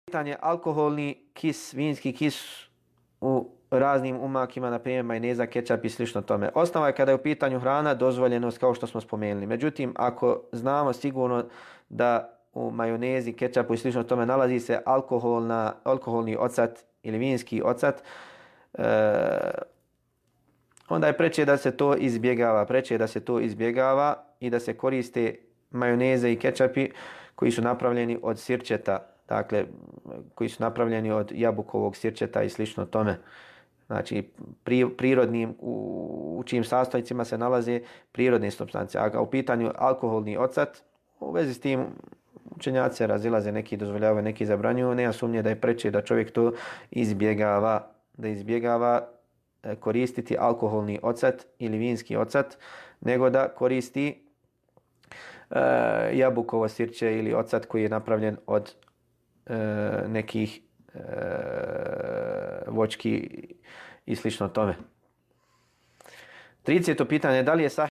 pitanje alkoholni kis, vinski kis u raznim umakima, na primjer majoneza, kečap i slično tome. Osnova je kada je u pitanju hrana dozvoljenost kao što smo spomenuli. Međutim, ako znamo sigurno da u majonezi, kečapu i slično tome nalazi se alkoholni ocat ili vinski ocat, onda je preče da se to izbjegava. Preče da se to izbjegava i da se koriste majoneze i kečapi koji su napravljeni od sirćeta, dakle koji su napravljeni od jabukovog sirćeta i slično tome. Znači prirodnim u čijim sastojcima se nalaze prirodne supstance. A u pitanju alkoholni ocat, u vezi s tim učenjaci razilaze, neki dozvoljavaju, neki zabranjuju. Nema sumnje da je preče da čovjek to izbjegava koristiti alkoholni ocat ili vinski ocat, nego da koristi jabukovo sirće ili ocat koji je napravljen od nekih voćki i slično tome. 30. pitanje, da li je sahih